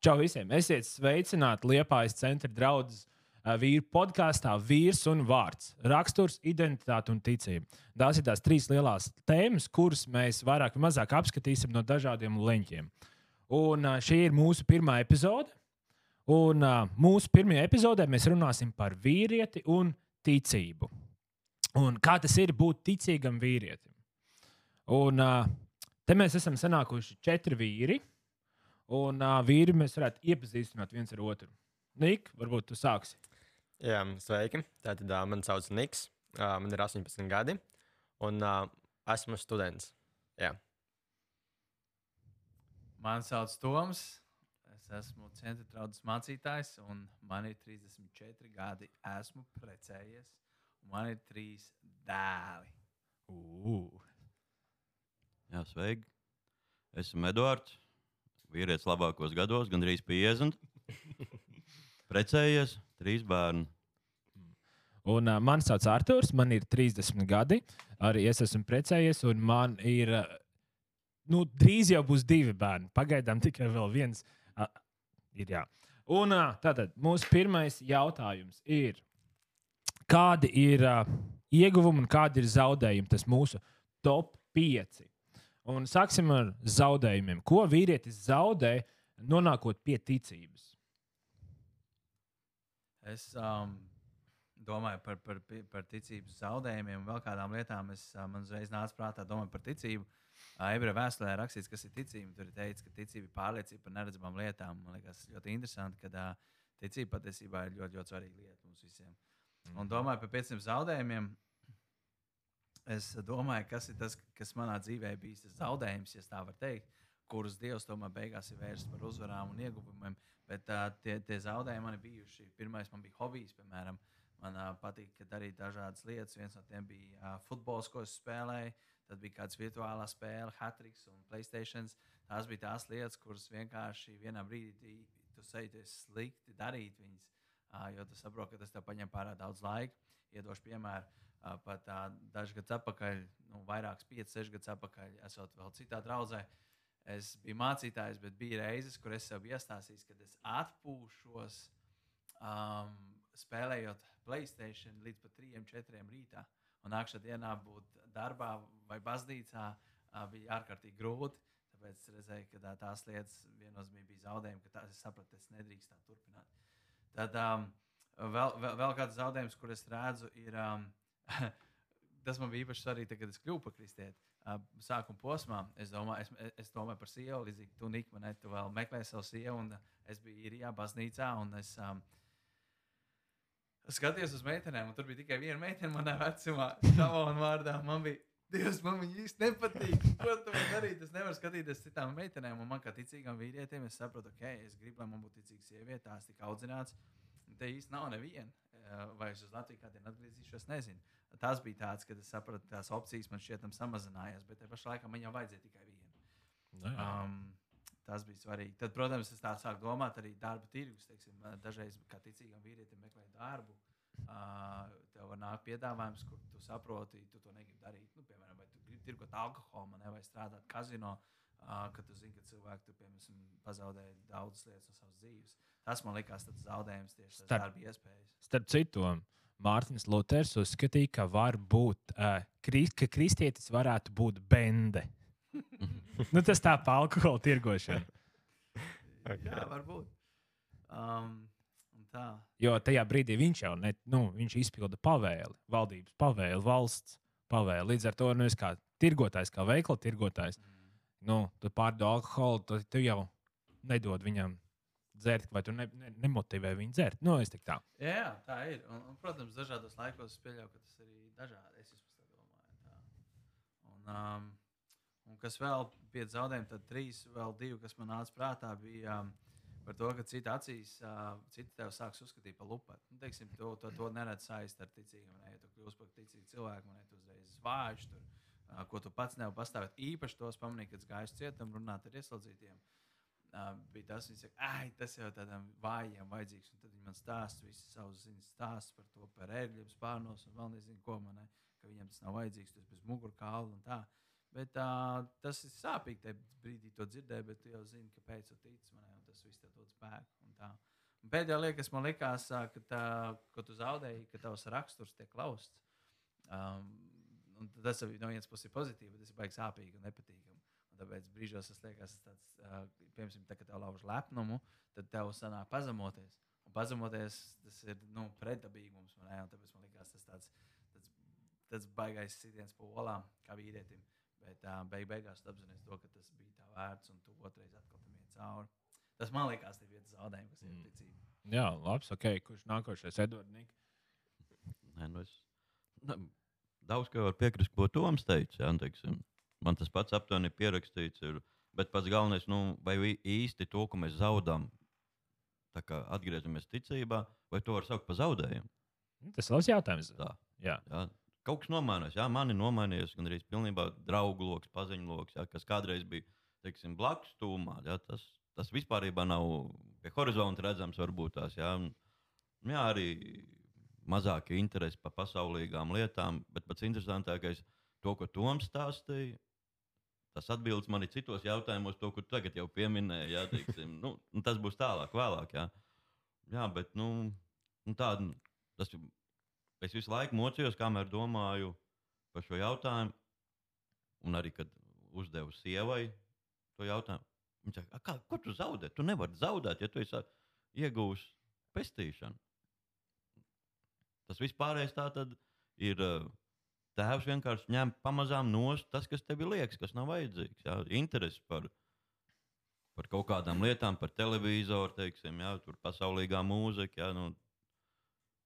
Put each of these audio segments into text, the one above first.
Čau visiem! Esiet sveicināti Liepājas centra draudzes vīru podkāstā Vīrs un vārds. Raksturs, identitāte un ticība. Tās ir tās trīs lielās tēmas, kuras mēs vairāk vai mazāk apskatīsim no dažādiem leņķiem. Un šī ir mūsu pirmā epizode. Un mūsu pirmajā epizodē mēs runāsim par vīrieti un ticību. Un kā tas ir būt ticīgam vīrietim. Un te mēs esam sanākuši 4 vīri. Un vīri mēs varētu iepazīstināt viens ar otru. Nik, varbūt tu sāksi. Jā, sveiki. Tātad mani sauc Niks. Man ir 18 gadi. Un esmu students. Jā. Mani sauc Toms. Es esmu centra draudzes mācītājs. Un man ir 34 gadi. Esmu precējies. Un man ir 3 dēli. Jā, sveiki. Esmu Eduards. Vīrietis labākos gados, gandrīz 50. Precējies, 3 bērni. Un mani sauc Arturs, man ir 30 gadi. Arī es esmu precējies, un man ir drīz jau būs 2 bērni. Pagaidām tikai vēl viens ir. Jā. Un tātad mūsu pirmais jautājums ir, kādi ir ieguvumi un kādi ir zaudējumi? Tas mūsu top 5. Un sāksim ar zaudējumiem. Ko vīrietis zaudē, nonākot pie ticības? Es domāju par ticības zaudējumiem un vēl kādām lietām. Man uzreiz nāca prātā domāt par ticību. Ebreju vēstulē rakstīts, kas ir ticība. Tur ir teikts, ka ticība ir pārliecība par neredzamām lietām. Man liekas ļoti interesanti, ka ticība patiesībā ir ļoti, ļoti svarīga lieta mums visiem. Un domāju par 5 zaudējumiem. Es domāju, kas ir tas, kas manā dzīvē bijis tas zaudējums, ja tā var teikt, kurus Dievs tomēr beigās ir vērsts par uzvarām un ieguvumiem. Bet tie zaudējumi man ir bijuši. Pirmais man bija hobijs, piemēram. Man patīk darīt dažādas lietas. Viens no tiem bija futbols, ko es spēlēju. Tad bija kāds virtuālā spēle, Hatrix un Playstation. Tās bija tās lietas, kuras vienkārši vienā brīdī tu sajūties slikti darīt viņas. Jo tu saproti, ka tas tev paņem pārāk daudz laika. Iedošu piemēru. Pat dažus gadus atpakaļ, vairākus 5, 6 gadus atpakaļ, esot vēl citā draudzē. Es biju mācītājs, bet bija reizes, kur es sev biju iestāstījis, kad es atpūšos spēlējot Playstation līdz pat 3, 4 rītā. Un nākamā dienā būt darbā vai baznīcā bija ārkārtīgi grūti. Tāpēc es redzēju, ka tās lietas viennozīmīgi bija zaudējumi, ka tās es sapratu, es nedrīkst tā turpināt. Tad vēl kāds zaudējums, kur es redzu, ir... Tas man bija īpaši svarīgi, kad es kļuvu par kristieti. Sākuma posmā es domāju par sievu, līdzīgi tu, Nik, tu vēl meklēji savu sievu, un es biju īrijā, baznīcā, un es skatījos uz meitenēm, un tur bija tikai viena meitene manā vecumā, Šavona vārdā. Man bija, Dievs, man viņa īsti nepatīk. Ko tu man darīt? Es nevaru skatīties citām meitenēm, un man kā ticīgam vīrietim, es saprotu, es gribu, lai man būtu ticīga sieviete, tās tik audzināts. Te īsti nav neviena. Vai es uz Latviju kādiem atgriezīšos, nezinu. Tas bija tāds, kad es sapratu, tās opcijas man šķietam samazinājās, bet te pašā laikā man jau vajadzēja tikai vienu. Tas bija svarīgi. Tad, protams, es tā sāku domāt arī darba tirgus. Teiksim, dažreiz, kā ticīgam vīrietim meklē darbu, tev var nākt piedāvājums, kur tu saproti, tu to negribi darīt. Piemēram, vai tu gribi tirgot alkoholu, vai strādāt kazino, kad tu zini, ka cilvēki tu, piemēram, pazaudēja daudzas lietas no savas dzīves. Tas man likās tāds zaudējums tieši tas darba iespējas. Starp citu, Mārtiņš Luters uzskatīja, ka var būt, ka kristietis varētu būt bende. Tas tā pa alkohola tirgošana. Jā, varbūt. Tā. Jo tajā brīdī viņš jau viņš izpilda pavēli, valdības pavēli, valsts pavēli. Līdz ar to es kā tirgotājs, kā veikala tirgotājs, tu pārdod alkoholu, tu jau nedod viņam dzert, vai tu nemotivē viņu dzert. Es tik tā. Jā, tā ir. Un, protams, dažādos laikos es pieļauju, ka tas arī dažādi. Es vispār tā domāju. Tā. Un kas vēl 5 zaudējumi, tad 3, vēl 2, kas man nāca prātā, bija par to, ka citi acīs, citi tev sāks uzskatīt par lupatu. Teiksim, to neredz saist ar ticību. Ja tu kļūsi par ticīgu cilvēku, man tu uzreiz vāģi tur, ko tu pats nevar pastāvēt. Īpaši tos pamanīju, kad es gāju cietumu runāt ar ieslodzītiem. Bija tas, viņi saka, tas jau tādām vājiem vajadzīgs. Un tad viņi man stāsta visu savus ziņas stāstus par to, par ērgļiem, spārnos un vēl nezinu, ko man, ka viņiem tas nav vajadzīgs, tas bez mugurkaula un tā. Bet tas ir sāpīgi tajā brīdī to dzirdēt, bet tu jau zini, kāpēc tu tici manai. tas viss tev dod spēku. Un pēdējā lieta, kas man likās, ka tu zaudēji, ka tavs raksturs tiek lausts. Tas no vienas puses ir pozitīvi, bet tas ir baigi sāpīgi un nepatīkami. Un tāpēc brīžos tas liekas, piemēram, kad tev lauž lepnumu, tad tev sanāk pazemoties. Un pazemoties, tas ir pretdabīgums. Tāpēc man liekas, tas baigais sitiens pa olām, kā vīrietim. Bet beigās tu apzinājies to, ka tas bija tā vērts, un tu otrais atkal tam iet cauri. Tas man liekas, tas ir viens zaudējums, kas ir ticība. Jā, labs, ok. Kurš nākošais? Edvards Nika? Daudz, ko var piekrist, ko Toms teica. Jā, teiksim. Man tas pats aptuveni pierakstīts ir. Bet pats galvenais, vai īsti to, ko mēs zaudām, tā kā atgriežamies ticībā, vai to var saukt par zaudējumu? Tas ir labs jautājums. Tā. Jā. Jā. Kaut kas nomainās, jā, mani nomainījās gan arī pilnībā draugu loks, paziņu loks, jā, kas kādreiz bija, teiksim, blakus tūmā, jā, tas vispārībā nav pie horizonta redzams varbūt tās, jā, jā, arī mazākie interesi par pasaulīgām lietām, bet pats interesantākais, to, ko Toms stāstīja, tas atbildes man ir citos jautājumos, to, ko tu tagad jau pieminēji, jā, teiksim, tas būs tālāk, vēlāk, jā, jā, bet, tas ir. Es visu laiku mocījos, kamēr domāju par šo jautājumu, un arī, kad uzdevu sievai to jautājumu. Viņa saka, ko tu zaudē? Tu nevari zaudēt, ja tu esi iegūs pestīšanu. Tas vispārējais tā tad ir tēvs vienkārši ņem pamazām nost tas, kas tev liekas, kas nav vajadzīgs. Jā? Interesi par kaut kādām lietām, par televizoru, teiksim, jā, tur pasaulīgā mūzika, jā,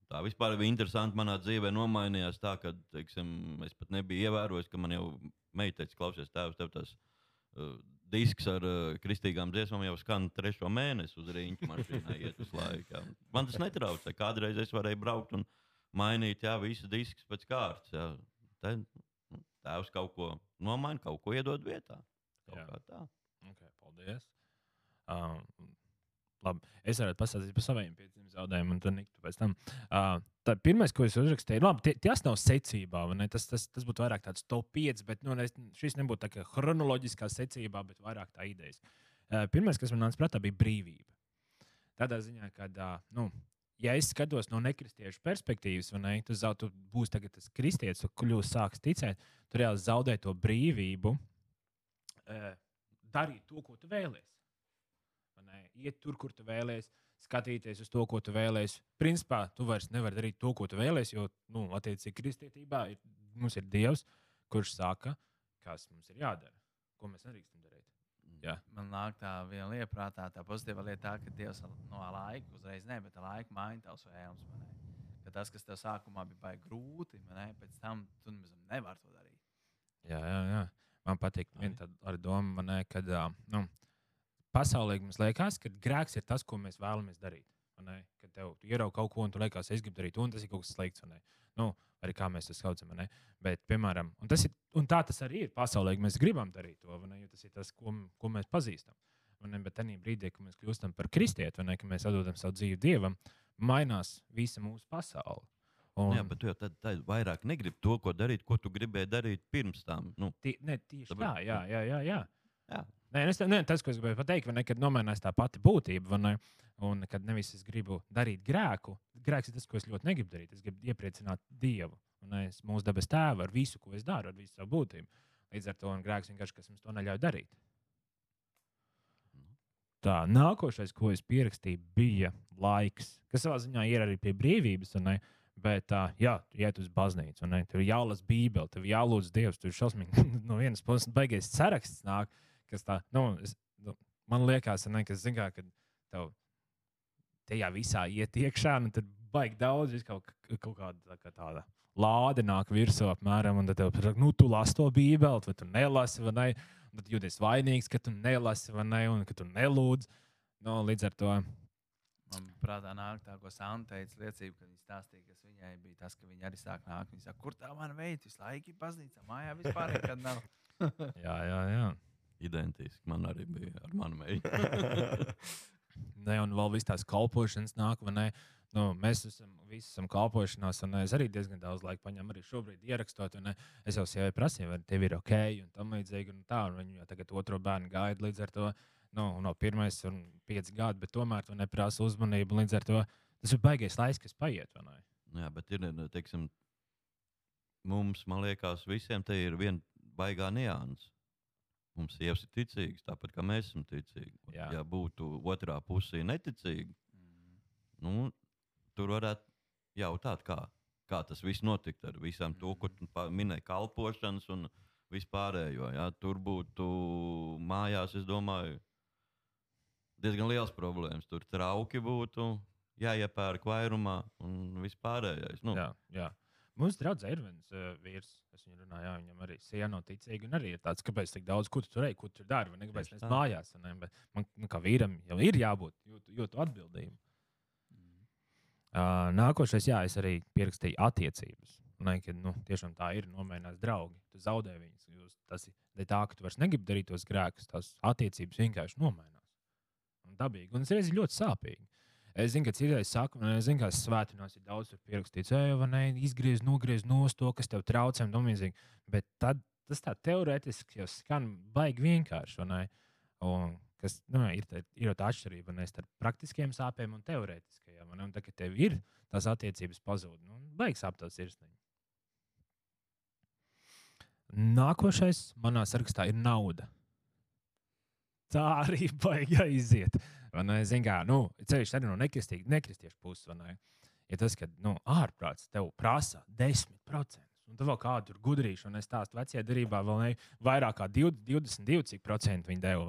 tā vispār bija interesanti. Manā dzīvē nomainījās tā, ka teiksim, es pat nebiju ievērojis, ka man jau meiteicis, klausies, tēvs, tev tas disks ar kristīgām dziesmām jau skan 3. mēnesi uz rīņķa mašīnā iet uz laiku. Jā. Man tas netraucē. Kādreiz es varēju braukt un mainīt, jā, visu diskus pēc kārtas. Jā. Tēvs kaut ko nomaina, kaut ko iedod vietā. Kaut kā tā. Okay, paldies. Labi, es varētu pastāstīt par saviem pieciem zaudējumiem, un tad Niktu pēc tam. Pirmais, ko es uzrakstīju, labi, tas nav secībā, vai ne? Tas būtu vairāk tāds top 5, bet šis nebūtu tā kā chronoloģiskā secībā, bet vairāk tā idejas. Pirmais, kas man nāca prātā, bija brīvība. Tādā ziņā, ka, ja es skatos no nekristiešu perspektīvas, vai ne, tu būsi tagad tas kristietis, kurš sāks ticēt, tu reāli zaudē to brīvību, darīt to, ko tu vēlies. Iet tur, kur tu vēlēsies, skatīties uz to, ko tu vēlēsies. Principā, tu vairs nevari darīt to, ko tu vēlēsies, jo, attiecīgi, kristietībā mums ir Dievs, kurš saka, kas mums ir jādara, ko mēs nedrīkstam darīt. Jā. Man nāk tā viena lieta prātā, tā pozitīva lieta, ka Dievs no laika, uzreiz ne, bet laika maina tavs vēlmes. Ka tas, kas tev sākumā bija baigi grūti, pēc tam tu nevari to darīt. Jā. Man patīk viena tāda doma, kad, pasaulē mums liekas, ka grēks ir tas, ko mēs vēlamies darīt. Kad tev ierauga kaut ko, un tu liekas, es gribu darīt to, un tas ir kaut kas slikts. Arī kā mēs to saucam. Bet, piemēram, un tā tas arī ir pasaulē, ka mēs gribam darīt to, jo tas ir tas, ko mēs pazīstam. Bet tajā brīdī, kad mēs kļūstam par kristieti, ka mēs atdodam savu dzīvi Dievam, mainās visa mūsu pasaule. Jā, bet tu jau tad vairāk negribi to, ko darīt, ko tu gribēji darīt pirms tam. Tieši tā, jā. Nē, tas, ko es gribēju pateikt, kad nomainās tā pati būtība, un kad nevis es gribu darīt grēku, grēks ir tas, ko es ļoti negribu darīt. Es gribu iepriecināt Dievu, mūsu dabas tēvu ar visu, ko es daru, ar visu savu būtību. Līdz ar to grēks vienkārši, kas mums to neļauj darīt. Tā, nākošais, ko es pierakstīju, bija laiks, kas savā ziņā ir arī pie brīvības, bet jā, tu iet uz baznīcu, tur ir jālasa Bībele, tev jālūdz Dievs, tur ir šausmīgi no vienas puses baigais saraksts nāk, kas tā, man liekas, ka zin kā, kad tev tajā visā iet iekšā, tad baigi daudz, kaut kāda tāda lāde nāk virsū apmēram, un tad tev, tu lasi to Bībeli, vai tu nelasi, vai ne, un tad jūties vainīgs, ka tu nelasi, vai ne, un ka tu nelūdz, līdz ar to. Man prātā nāk tā, ko Santa teica liecība, kad viņa stāstīja, kas viņai bija tas, ka viņa arī sāk nākt. Viņa saka, kur tā man veids, visu laiku baznīcā, mājā vispār nekad nav. Jā. Identiski man arī bija ar manu meitu. Un vēl viss tās kalpošanas nāk, vai ne? Mēs visi esam kalpošanās, un es arī diezgan daudz laika paņemu arī šobrīd ierakstot, un es jau sievai prasīju, vai tev ir ok, un tam līdzīgi, un tā, un viņa jau tagad otro bērnu gaida, līdz ar to no 1 un 5 gadi, bet tomēr tu neprasa uzmanību. Līdz ar to tas ir baigais laiks, kas paiet. Jā, bet ir, teiksim, mums, man liekas, visiem te ir viena baigā nianses. Mums sievas ir ticīgas, tāpat kā mēs esam ticīgi. Jā. Ja būtu otrā pusē neticīgi, nu, tur varētu jautāt, kā tas viss notika ar visām to, ko tu minēji, kalpošanas un vispārējo. Ja? Tur būtu mājās, es domāju, diezgan liels problēmas. Tur trauki būtu jāiepērk vairumā un vispārējais. Nu, Jā. Mums draugs ir viens vīrs, kas viņam runā, jā, viņam arī siena nav ticīga. Un arī ir tāds, kāpēc tik daudz, ko tu tur ej, ko tu dari, vai ne, kāpēc mēs mājās. Ne? Bet man, kā vīram, jau ir jābūt, jūtu atbildību. Nākošais, jā, es arī pierakstīju attiecības. Ne, kad, tiešām tā ir, nomainās draugi. Tu zaudē viņus. Tas ir tā, ka tu vairs negribi darīt tos grēkus. Tās attiecības vienkārši nomainās. Un dabīgi. Un tas reiz ir ļoti sāpīgi. Es zinu, ka citreiz saka, es zinu, ka svētdienās ir daudz pierakstīts, izgriez, nogriez nost to, kas tev traucē un domīzīgi. Bet tad tas tā teorētiski jau skan baigi vienkārši. Un kas ir tā atšķirība starp praktiskiem sāpēm un teorētiskajiem. Un tad, kad tev ir tās attiecības pazūd, baigi sāp tās sirsniņa. Nākošais manā sarakstā ir nauda. Tā arī baigi aiziet. Zinu, kā, ceļš arī no nekristiešu puses. Ja tas, ka ārprāts tev prasa 10%, un tu vēl kādu tur gudrīšu, un es stāstu vecajā derībā, vēl vairāk kā 22% viņi deva.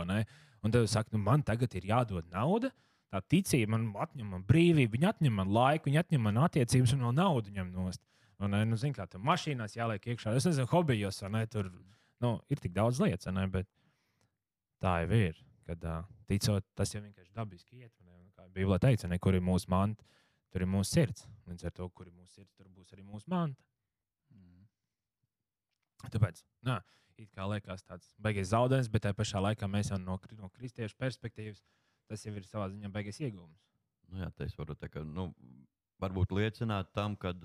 Un tad saka, man tagad ir jādod nauda, tā ticība man atņem man brīvību, viņi atņem man laiku, viņi atņem man attiecības un vēl naudu ņem nost. Zinu, kā tur mašīnās jāliek iekšā. Es nezinu, hobijos, tur ir tik daudz lietas, bet tā jau ir. Kad ticot, tas jau vienkārši dabiski iet. Kā Bībelē teica, kur ir mūsu manta, tur ir mūsu sirds. Līdz ar to, kur ir mūsu sirds, tur būs arī mūsu manta. Tāpēc, it kā liekas tāds baigais zaudējums, bet tajā pašā laikā mēs jau no kristiešu perspektīvas, tas jau ir savā ziņā baigais iegūms. Jā, es varu varbūt liecināt tam, ka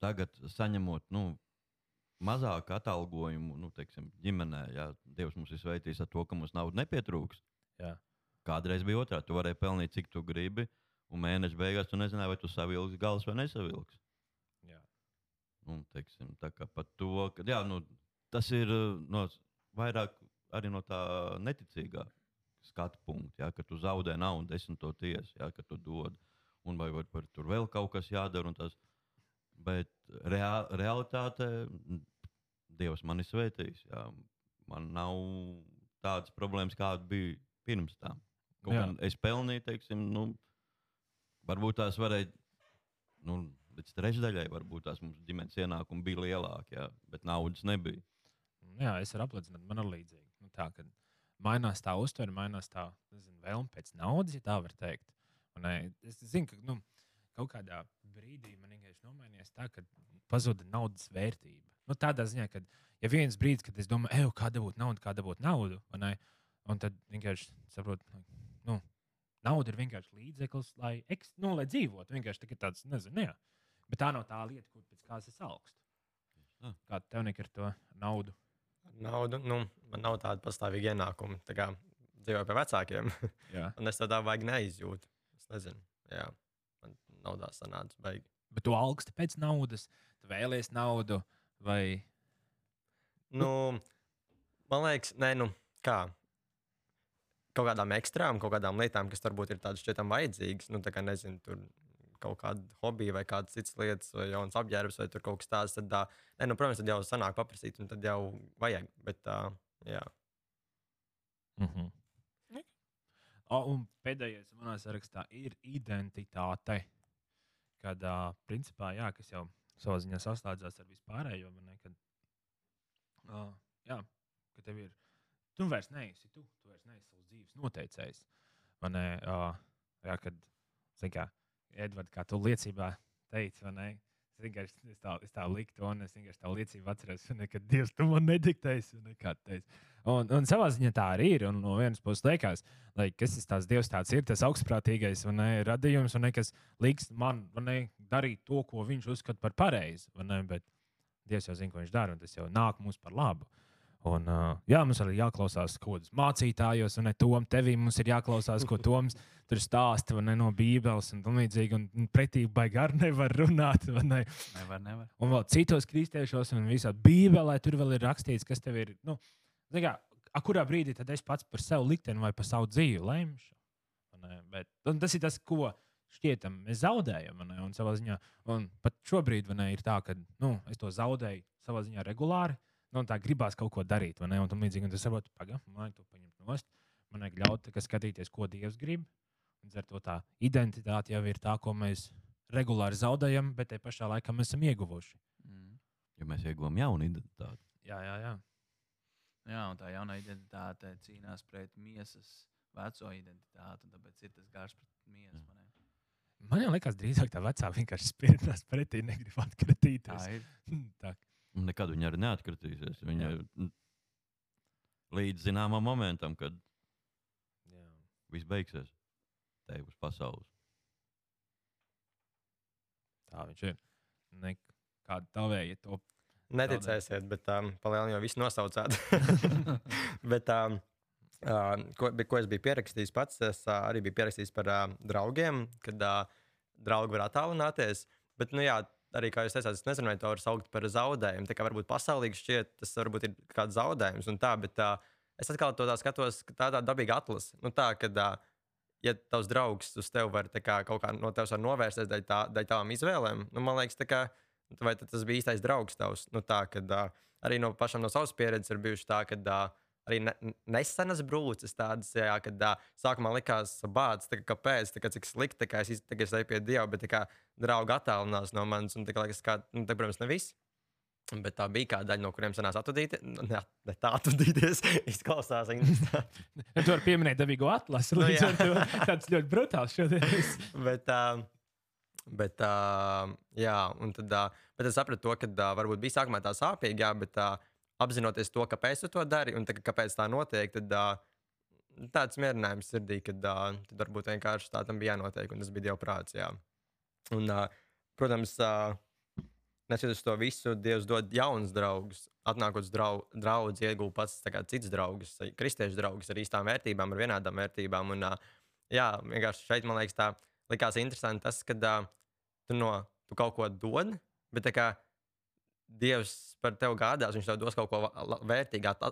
tagad saņemot, mazāku atalgojumu, teiksim, ģimenē, ja Dievs mums ir sveitījis ar to, ka mums nauda nepietrūks. Jā. Kādreiz bija otrā. Tu varēji pelnīt, cik tu gribi, un mēneša beigās tu nezināji, vai tu savilksi galus vai nesavilksi. Jā. Teiksim, tā kā par to, ka tas ir vairāk arī no tā neticīgā skatu punkta, ka tu zaudē naudu 10. tiesu, ka tu dod, un vai tur vēl kaut kas jādara. Bet realitāte Dievs mani svētīs. Jā. Man nav tādas problēmas, kāda bija pirms tam. Es pelnīju, teiksim, varbūt tās varēja, līdz trešdaļai, varbūt tās mums ģimenes ienākumi bija lielāki, jā, bet naudas nebija. Jā, es varu apliecināt, man ir līdzīgi. Tā, kad mainās tā uztvere, mainās tā vēlme pēc naudas, ja tā var teikt. Un, es zinu, ka kaut kādā brīdī man vienkārši nomainījās tā, ka pazuda naudas vērtība. Tādā ziņā, ka ja viens brīdis, kad es domāju, kā dabūt naudu, un tad vienkārši saprotu, nauda ir vienkārši līdzeklis, lai dzīvotu. Vienkārši tāds, nezinu, jā. Bet tā nav tā lieta, kur pēc kādas es augstu. Kā tev nekar to naudu? Naudu, man nav tāda pastāvīga ienākuma. Tā kā dzīvoju pie vecākiem. Un es tādā vajag neizjūtu. Es nezinu, jā. Man naudā sanāca baigi. Bet tu augsti pēc naudas, tu vēlies naudu, vai? Man liekas, kā? Kaut kādām ekstrām, kaut kādām lietām, kas varbūt ir tādas šķietam vajadzīgas. Tā kā, nezinu, tur kaut kāda hobija vai kādas citas lietas, vai jauns apģērbs, vai tur kaut kas tāds, tad, protams, tad jau sanāk paprasīt, un tad jau vajag, bet jā. Un pēdējais manā sarakstā ir identitāte. Kad, principā, kas jau savā ziņā saslēdzās ar vispārējo, ka tev ir, tu vairs neesi tu vairs neesi savas dzīves noteicējs. Kad, kā, Edvard, kā tu liecībā teici, es tā liktu, un es vienkārši tā liecību atceros, ka Dievs, tu man nediktēsi, kā tu teici. Un savā ziņā tā arī ir, un no vienas puses liekas, kas tas Dievs tāds ir, tas augstprātīgais radījums, kas liks man darīt to, ko viņš uzskata par pareizi. Bet Dievs jau zina, ko viņš dara, un tas jau nāk mums par labu. Un, jā, mums arī jāklausās kaut kādos mācītājos, un ne Tom, tevī mums ir jāklausās, ko Toms tur stāsta no Bībeles un tam līdzīgi. Un pretī baigi arī nevar runāt. Ne? Nevar. Un vēl citos kristiešos un visā Bībelē tur vēl ir rakstīts, kas tev ir. Nu, kā, kurā brīdī tad es pats par sevi likteni vai par savu dzīvi lemšu? Tas ir tas, ko šķietam mēs zaudējam. Un savā ziņā, un pat šobrīd ir tā, ka es to zaudēju savā ziņā regulāri. Tā gribās kaut ko darīt, un tam līdzīgi. Un tas saprot, man to paņemt nost. Man vajag ļaut skatīties, ko Dievs grib. Un ar to tā identitāte jau ir tā, ko mēs regulāri zaudējam, bet te pašā laikā mēs esam ieguvuši. Ja mēs ieguvām jaunu identitāti. Jā. Jā, un tā jaunā identitāte cīnās pret miesas veco identitāti, un tāpēc ir tas gars pret miesu. Man liekas, drīzāk tā vecā vienkārši spērinās pretī, negrib atkratīties. Tā ir. Tā. Un nekad viņa arī neatkritīsies. Viņa līdz zināmam momentam, kad viss beigsies, te uz pasaules. Tā viņš ir. Kāda tavēja to. Neticēsiet, bet palielināt jau visu nosaucāt. Bet, ko es biju pierakstījis pats, es arī biju pierakstījis par draugiem, kad draugi var attālināties. Bet, arī kā jūs teicāt, es nezinu, vai to var saukt par zaudējumu. Tā kā varbūt pasaulīgi šķiet, tas varbūt ir kāds zaudējums un tā, bet es atkal to tā skatos, ka tā dabīga atlase. Tā, kad, ja tavs draugs uz tevi var kaut kā no tevis var novērsties dēļ tavām izvēlēm, man liekas, vai tas bija īstais draugs tavs? Tā, kad arī pašam no savas pieredzes ir bijuši tā, kad arī nesenas brūces tādas, kad sākumā likās bāds, kāpēc, cik slikti, es eju pie Dieva, bet draugi attālinās no manis, un liekas, protams, ne viss. Bet tā bija kāda daļa, no kuriem sanās atvadīties. Ne tā atvadīties, izklausās. Tu vari pieminēt dabīgo atlasi, līdz ar to tāds ļoti brutāls šodien. Bet es sapratu to, ka varbūt bija sākumā tā sāpīgi, bet apzinoties to, kāpēc tu to dari un kāpēc tā notiek, tad tāds mierinājums sirdī, kad tad varbūt vienkārši tā tam bija jānotiek, un tas bija Dieva prāts. Jā. Un, protams, neskatoties to visu, Dievs dod jaunus draugus. Atnākot uz draugu, iegūst pats cits draugus, kristiešu draugus ar īstām vērtībām, ar vienādām vērtībām. Un, vienkārši šeit, man liekas, tā likās interesanti tas, ka tu kaut ko dod, bet Dievs par tevi gādās, viņš tev dos kaut ko vērtīgāk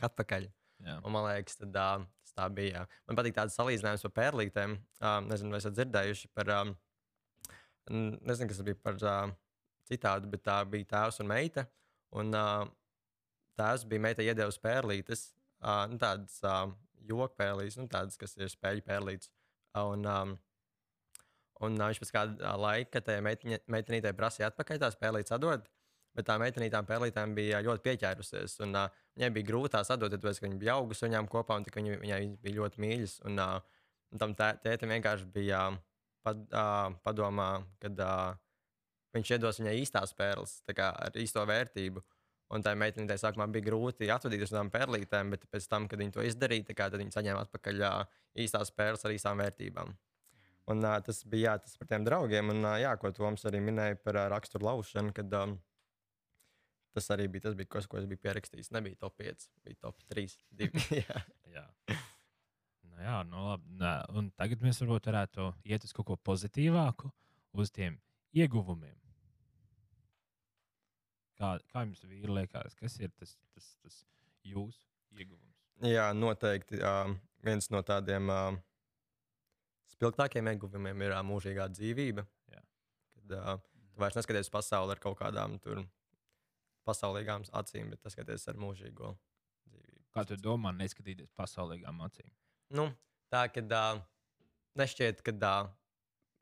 atpakaļ. Jā. Un, man liekas, tas tā bija. Man patīk tāds salīdzinājums par pērlītēm. Nezinu, vai esat dzirdējuši par... Nezinu, kas tas bija par citādu, bet tā bija tēvs un meita. Un tēvs bija meita iedevusi pērlītes, tādas jokpērlītes, tādas, kas ir spēļu pērlītes. Un viņš pēc kāda laika tajā meitenītei prasīja atpakaļ tās pērlītes atdot, bet tā meitenītām pērlītēm bija ļoti pieķērusies. Un viņai bija grūti tās atdot, tāpēc, ka viņa bija augusi viņām kopā un viņai bija ļoti mīļas. Un tam tētim vienkārši bija padomā, kad viņš iedos viņai īstās pērles, ar īsto vērtību. Un tā meitenītei sākumā bija grūti atvadīties no tām pērlītēm, bet pēc tam, kad viņi to izdarīja, tad viņi saņēma atpakaļ īstās pērles ar īstām vērtībām. Un tas bija tas par tiem draugiem, un ko Toms arī minēja par raksturu laušanu, kad tas arī bija tas, ko es biju pierakstījis. Nebija top 5, bija top 3, 2. Jā. Labi. Un tagad mēs varētu iet uz kaut ko pozitīvāku, uz tiem ieguvumiem. Kā jums vīri liekas, kas ir tas jūsu ieguvums? Jā, noteikti. Viens no tādiem spilgtākiem ieguvumiem ir mūžīgā dzīvība. Jā. Kad tu vairs neskaties pasauli ar kaut kādām pasaulīgām acīm, bet skaties ar mūžīgo dzīvību. Kā tu domā, neskatīties pasaulīgām acīm? Tā, ka nešķiet, ka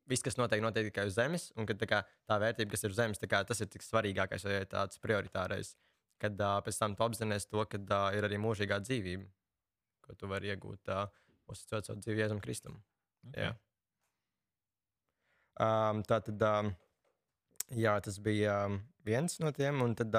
viss, kas notiek tikai uz zemes, un ka tā vērtība, kas ir uz zemes, tas ir tik svarīgākais vai tāds prioritārais. Kad pēc tam tu apzinājies to, ka ir arī mūžīgā dzīvība, ko tu vari iegūt, uzticot savu dzīvi Jēzum Kristum. Okay. Tas bija viens no tiem, un tad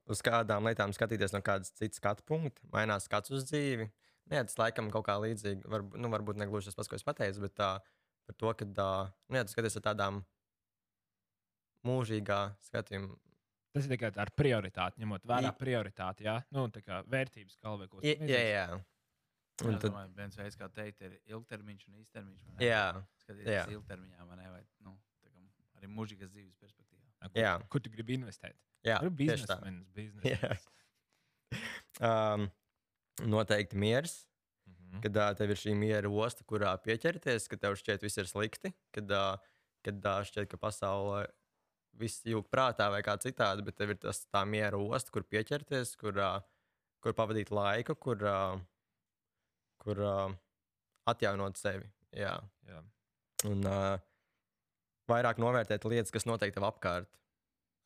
uz kādām lietām skatīties no kādas citas skatu punkta, mainās skats uz dzīvi. Tas laikam kaut kā līdzīgi, varbūt ne gluži tas pats, ko es pateicu, bet par to, ka tu skaties ar tādām mūžīgā skatījuma Tas ir tikai ar prioritāti, ņemot vērā prioritāti, jā, nu, tā kā vērtības kalvē, ko Jā. Un Un tad, viens veids, kā teikt, ir ilgtermiņš un īstermiņš. jā, Skatīties ilgtermiņā, vai ne? Vai, nu, tā kā arī mūžīgas dzīves perspektīvā. jā. Kur tu gribi investēt? Jā, Tur tieši tā. biznesmenis. Noteikti miers. Mhm. Kad tev ir šī miera osta, kurā pieķerties, kad tev šķiet, viss ir slikti, kad šķiet, ka pasaulē viss jūg prātā vai kā citādi, bet tev ir tā miera osta, kur pieķerties, kur pavadīt laiku, kur atjaunot sevi. Jā. Jā. Un vairāk novērtēt lietas, kas notiek tev apkārt.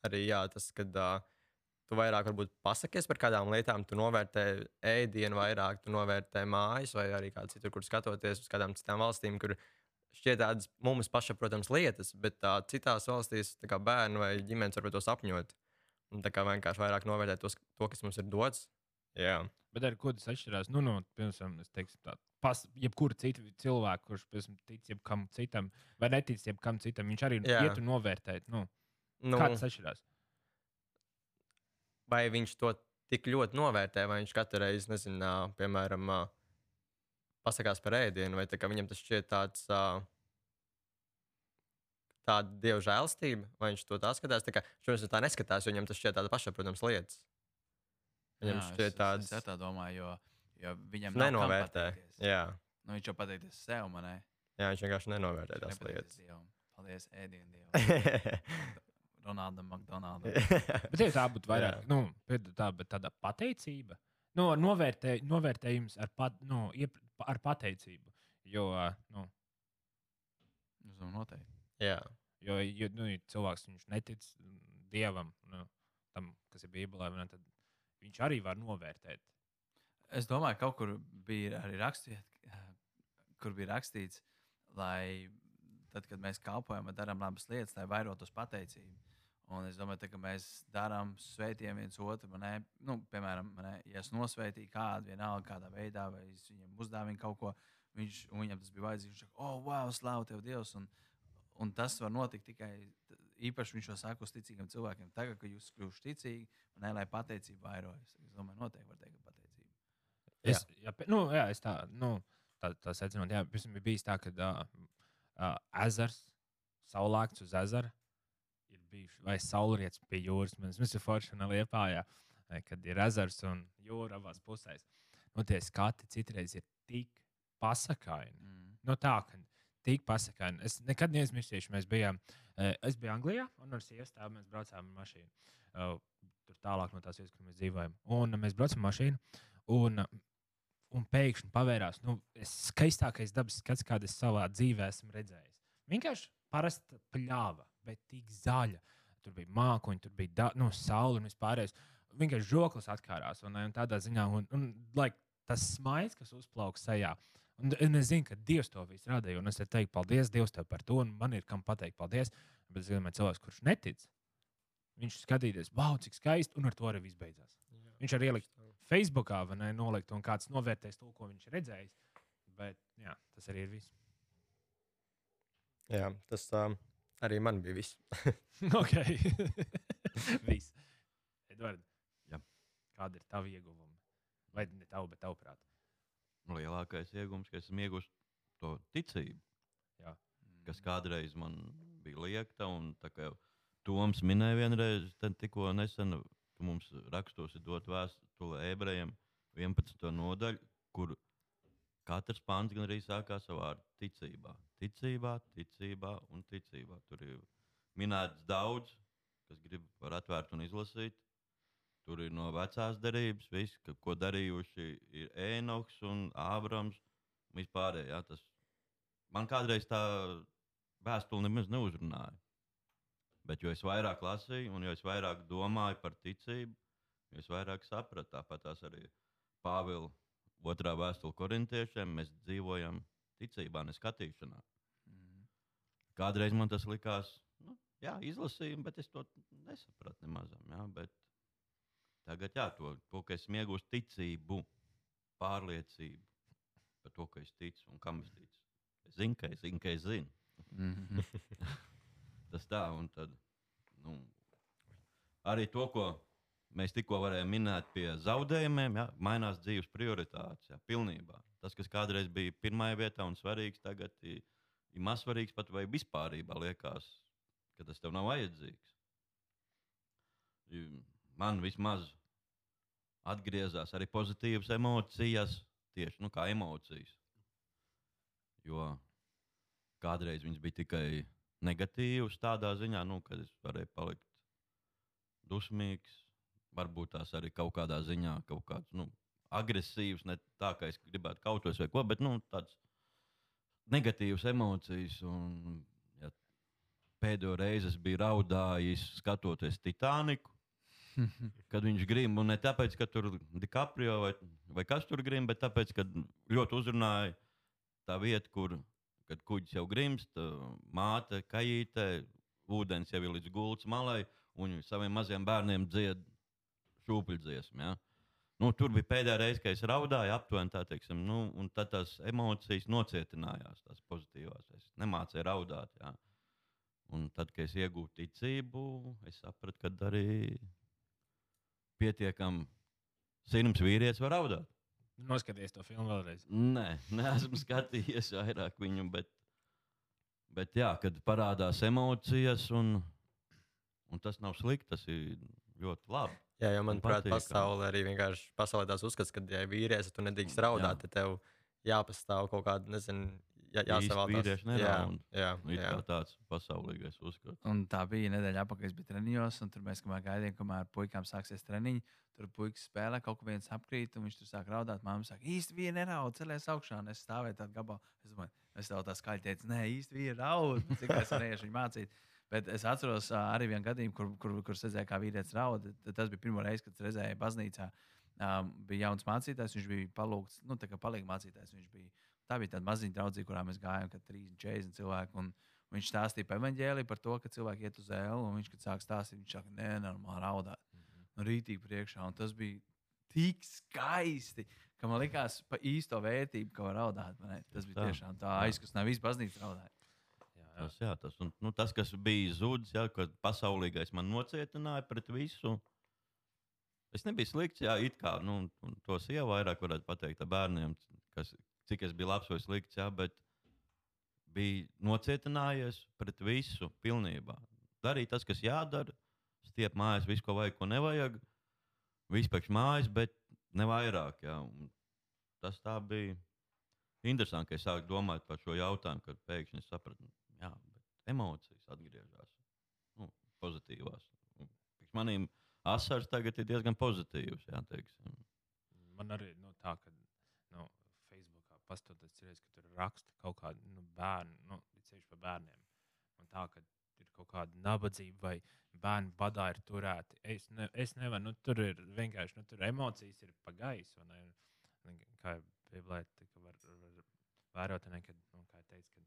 Arī jā, tas, kad tu vairāk varbūt pasakies par kādām lietām, tu novērtē ēdienu vairāk, tu novērtē mājas vai arī kādu citur, kur skatoties uz kādām citām valstīm, kur šķiet tādas mums pašsaprotams lietas, bet citās valstīs tā kā bērni vai ģimenes var par to sapņot. Un tā kā vienkārši vairāk novērtēt to, kas mums ir dots. Jā. Bet ar ko tas atšķirās? Nu, piemēram, es teiktu, jebkura cita cilvēka, kurš tic jebkam citam, vai netic jebkam citam, viņš arī iet un novērtēt. Nu, kā tas atšķirās? Vai viņš to tik ļoti novērtē, vai viņš katru reizi, nezinu, piemēram, pasakās par ēdienu, vai viņam tas šķiet tāda dieva žēlstība, vai viņš to tā skatās. Šodien tā neskatās, jo viņam tas šķiet tāda pašsaprotams lietas. Viņam šķiet tāds. Es tā domāju, jo viņam nenovērtē. Jā. Nu, viņš jau pateikties sev, man ne? Jā, viņš vienkārši nenovērtē tās lietas. Paldies, ēdienu dievam. Ronaldam, McDonaldam. Bet ja tā būtu vairāk, bet tāda pateicība. Nu, novērtējums ar pateicību. Jo, noteikti. Jā. Jo cilvēks viņš netic dievam, tam, kas ir Bībelē, tad viņš arī var novērtēt. Es domāju, ka kaut kur bija arī rakstīts, lai tad, kad mēs kalpojam un darām labas lietas, lai vairotos pateicību. Un es domāju, ka mēs darām svētiem viens otru. Piemēram, ja es nosvētīju kādu, vienalga kādā veidā, vai es viņam uzdāvinu kaut ko, viņam tas bija vajadzīgs. Viņš saka, wow, slavu tev, Dievs! Un tas var notikt tikai īpaši viņš to saka uz ticīgiem cilvēkiem. Tagad, kad jūs kļūstat ticīgi, lai pateicība vairojas. Es domāju, noteikti var teikt, ka pateicība. Es tā secinu. Jā, pirms bija bijis tā, ka ezers, saulēkts uz ezera ir bijuši, vai saulrietis pie jūras. Mums ir forši un Liepājā, kad ir ezers un jūra abās pusēs. Tie skati citreiz ir tik pasakaini. Tā, ka tik pasakaini. Es nekad neaizmirsīšu, es biju Anglijā un ar sievastāvu mēs braucām ar mašīnu. Tur tālāk no tās vietas, kur mēs dzīvojam. Un mēs braucam mašīnu un pēkšņi pavērās skaistākais dabas skats, kādu es savā dzīvē esmu redzējis. Vienkārši parasta pļāva, bet tik zaļa. Tur bija mākoņi, tur bija saule un vispārējais. Vienkārši žoklis atkārās. Un tādā ziņā, tas smaids, kas uzplauka sejā. Un es zinu, ka Dievs to visu radīja. Un es teiktu, paldies Dievam tev par to. Un man ir kam pateikt paldies. Bet es domāju, cilvēks, kurš netic, viņš skatīties, wow, cik skaisti. Un ar to arī viss beidzās. Viņš arī ielikt Facebookā, vai ne, nolikt, un kāds novērtēs to, ko viņš ir redzējis. Bet jā, tas arī ir viss. Jā, tas arī man bija viss. Ok. Viss. Edvard, kāda ir tava ieguvuma? Vai ne tavu, bet tavuprāt? Lielākais iegūms, ka esmu ieguvis to ticību, kas kādreiz man bija liekta. Un tā kā Toms minēja vienreiz, tikko nesen, ka mums rakstos ir dot vēstule ebrejiem 11. nodaļu, kur katrs pants gan arī sākās ar vārdu ticībā. Ticībā, ticībā un ticībā. Tur ir minēts daudz, kas grib var atvērt un izlasīt. Tur ir no vecās derības, viss, ko darījuši ir Ēnoks un Ābrams. Vispārēj, man kādreiz tā vēstule nemaz neuzrunāja. Bet jo es vairāk lasīju un jo es vairāk domāju par ticību, jo es vairāk sapratu. Tāpat tās arī Pāvila 2. vēstule korintiešiem. Mēs dzīvojam ticībā, ne skatīšanā. Kādreiz man tas likās, izlasīju, bet es to nesapratu nemazam. Bet tagad, to, ka esmu iegūst ticību, pārliecību par to, ka es ticu un kam es ticu. Es zinu, ka es zinu. Tas tā, un tad, arī to, ko mēs tikko varējām minēt pie zaudējumiem, ja, mainās dzīves prioritātes. Ja, pilnībā. Tas, kas kādreiz bija pirmajā vietā un svarīgs, tagad ir mazsvarīgs pat vai vispārībā liekas, ka tas tev nav vajadzīgs. Man vismaz atgriezās arī pozitīvas emocijas, tieši kā emocijas. Jo kādreiz viņas bija tikai negatīvas tādā ziņā, kad es varēju palikt dusmīgs, varbūt tās arī kaut kādā ziņā kaut kāds agresīvs, ne tā, ka es gribētu kautos vai ko, bet tāds negatīvas emocijas. Un, ja pēdējo reizi es biju raudājis, skatoties Titaniku, kad viņš grib, un ne tāpēc, ka tur DiCaprio vai kas tur grib, bet tāpēc, ka ļoti uzrunāja tā vieta, kad kuģis jau grimst, māte, kajīte, ūdens jau ir līdz gultas malai, un viņi saviem maziem bērniem dzied šūpuļdziesmu. Ja? Tur bija pēdējā reize, kad es raudāju aptuveni tā, teiksim, un tad tās emocijas nocietinājās, tās pozitīvās. Es nemācēju raudāt. Ja? Un tad, kad es iegūtu ticību, es sapratu, ka arī pietiekami sirds vīrietis var raudāt. Noskaties to filmu vēlreiz. Nē, neesmu skatījies vairāk viņu, bet jā, kad parādās emocijas, un tas nav slikti, tas ir ļoti labi. Jā, jo manuprāt, pasaulē arī vienkārši pasaulē tās uzskats, ka, ja vīrietis, tu nedrīkst raudāt, tad tev jāpastāv kaut kāda, nezinu, jāsavaltās. Vīrieši neraud. Jā. Kā tāds pasaulīgais uzskats. Un tā bija nedēļa atpakaļ, es biju treniņos, un tur mēs gaidījām, kamēr puikām sāksies treniņi. Tur puikas spēlē, kaut ko viens apkrīt, un viņš tur sāk raudāt. Māma saka, īsti vīri neraud, celies augšā, un es stāvēju tādu gabalu. Es domāju, es tev tā skaļi teicu, nē, īsti vīri raud, cik es varēšu viņu mācīt. Bet es atceros arī vienu gadījumu, kur es redzēju, kā vīrietis raud. Tas bija pirmo reizi, kad es redzēju baznīcā. Bija jauns mācītājs, viņš bija palūgts, tā kā palīga mācītājs. Tā bija tāda maziņa draudzība, kurā mēs gājām, kad 30-40 cilvēki. Un viņš stāstīja par evaņģēliju, par to, ka cilvēki iet uz ēlu, un viņš, kad sāk stāstīt, viņš saka, nenormāli raudāt. Rītīgi priekšā, un tas bija tik skaisti, ka man likās pa īsto vērtību, ka var raudāt. Tas bija tiešām tā aizkustināja, visu baznīcu raudāja. Tas, kas bija zudis, kad pasaulīgais man nocietināja pret visu, es nebiju slikts, it kā, to sieva vairāk varētu pateikt ar bērniem, cik es biju labs vai slikts, bet bija nocietinājies pret visu pilnībā. Darīja tas, kas jādara, stiep mājās visu, ko vajag, ko nevajag, vispār mājas, bet ne vairāk. Tas tā bija interesanti, ka es sāku domāt par šo jautājumu, kad pēkšņi es sapratu, bet emocijas atgriežas pozitīvās. Maniem asaras tagad ir diezgan pozitīvas. Man arī tā, ka Facebookā pastoties, ka tur raksta kaut kādi bērni, ceļš par bērniem. Un tā, ka ir kaut kāda nabadzība vai bērnu badā ir turēti. Es nevaru, tur ir vienkārši, tur emocijas ir pa gaisu. Kā Bībelē var vērot, kā teica,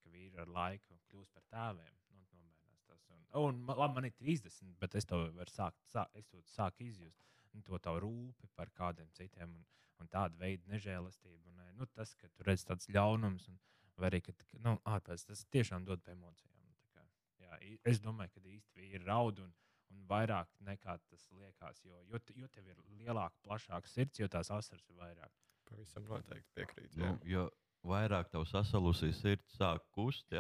ka vīri ar laiku kļūst par tēviem. Labi, man ir 30, bet es to varu sāku izjust. To tavu rūpi par kādiem citiem un tādu veidu nežēlastību. Tas, ka tu redz tāds ļaunums, vai arī, ka ārpēc tas tiešām dod pie emocijām. Es domāju, ka īsti vīri raud un vairāk nekā tas liekas, jo tev ir lielāka, plašāka sirds, jo tās asaras ir vairāk. Pavisam noteikti piekrīt. Jo vairāk tev sasalusī sirds sāk kust,